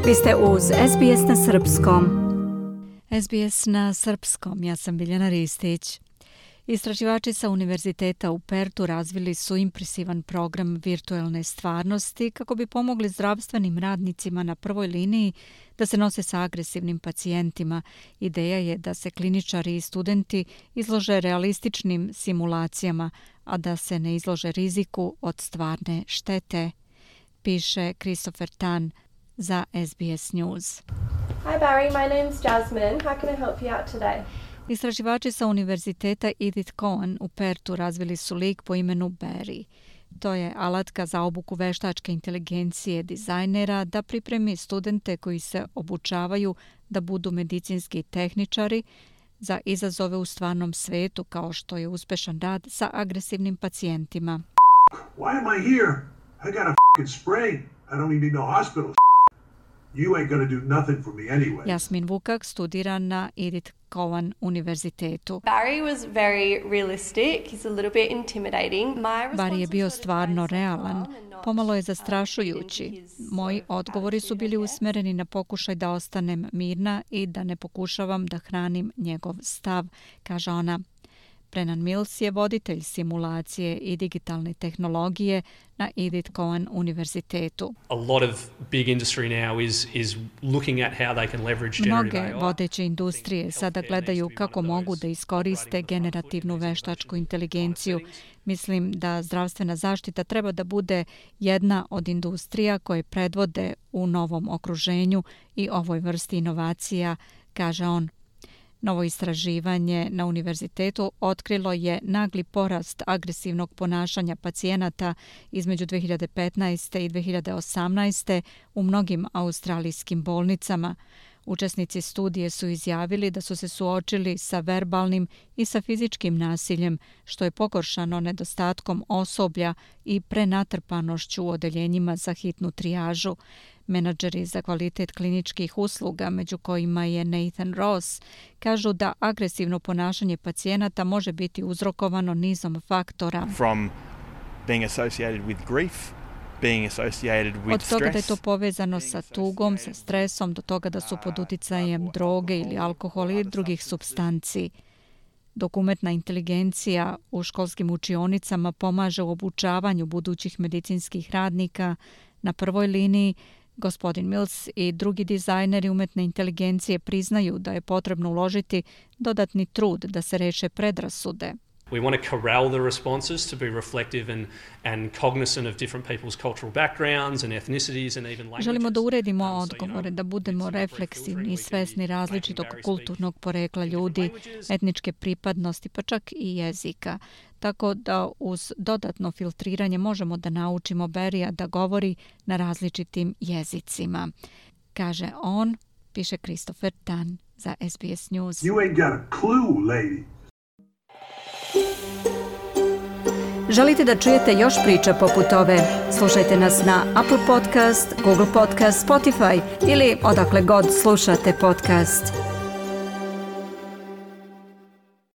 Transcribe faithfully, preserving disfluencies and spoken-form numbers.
Vi ste uz S B S na srpskom. S B S na srpskom, ja sam Biljana Ristić. Istraživači sa Univerziteta u Pertu razvili su impresivan program virtualne stvarnosti kako bi pomogli zdravstvenim radnicima na prvoj liniji da se nose sa agresivnim pacijentima. Ideja je da se kliničari i studenti izlože realističnim simulacijama, a da se ne izlože riziku od stvarne štete, piše Christopher Tan za S B S News. Hi Barry, my name's Jasmine. How can I help you out today? Istraživači sa Univerziteta Edith Cowan u Pertu razvili su lik po imenu Barry. To je alatka za obuku veštačke inteligencije dizajnera da pripremi studente koji se obučavaju da budu medicinski tehničari za izazove u stvarnom svetu, kao što je uspešan rad sa agresivnim pacijentima. Why am I here? I got a fucking sprain. I don't even need no hospital. You ain't gonna do nothing for me anyway. Jasmin Vukak studira na Edith Cowan univerzitetu. Barry was very realistic. He's a little bit intimidating. My Barry je bio stvarno realan, pomalo je zastrašujući. Moji odgovori su bili usmereni na pokušaj da ostanem mirna i da ne pokušavam da hranim njegov stav, kaže ona. Brennan Mills je voditelj simulacije i digitalne tehnologije na Edith Cowan univerzitetu. A lot of big industry now is is looking at how they can leverage generative A I. Mnoge vodeće industrije sada gledaju kako mogu da iskoriste generativnu veštačku inteligenciju. Mislim da zdravstvena zaštita treba da bude jedna od industrija koje predvode u novom okruženju i ovoj vrsti inovacija, kaže on. Novo istraživanje na univerzitetu otkrilo je nagli porast agresivnog ponašanja pacijenata između dve hiljade petnaeste i dve hiljade osamnaeste u mnogim australijskim bolnicama. Učesnici studije su izjavili da su se suočili sa verbalnim i sa fizičkim nasiljem, što je pogoršano nedostatkom osoblja i prenatrpanošću u odeljenjima za hitnu trijažu. Menadžeri za kvalitet kliničkih usluga, među kojima je Nathan Ross, kažu da agresivno ponašanje pacijenata može biti uzrokovano nizom faktora. From being associated with grief, being associated with Od toga da je to stress, povezano sa tugom, sa stresom, do toga da su pod uticajem droge ili alkohola i drugih supstanci. Dok umetna inteligencija u školskim učionicama pomaže u obučavanju budućih medicinskih radnika, na prvoj liniji gospodin Mills i drugi dizajneri umetne inteligencije priznaju da je potrebno uložiti dodatni trud da se reše predrasude. We want to corral the responses to be reflective and, and cognizant of different people's cultural backgrounds and ethnicities and even languages. Želimo da uredimo Um, so, you odgovore, know, da budemo it's not refleksivni i filtering, we svesni can be različitog making Barry kulturnog speak porekla in different ljudi, languages. etničke pripadnosti, pa čak i jezika. Tako da uz dodatno filtriranje možemo da naučimo Barrya da govori na različitim jezicima. Kaže on, piše Christopher Tan za S B S News. You ain't got a clue, lady. Želite da čujete još priča poput ove? Slušajte nas na Apple Podcast, Google Podcast, Spotify ili odakle god slušate podcast.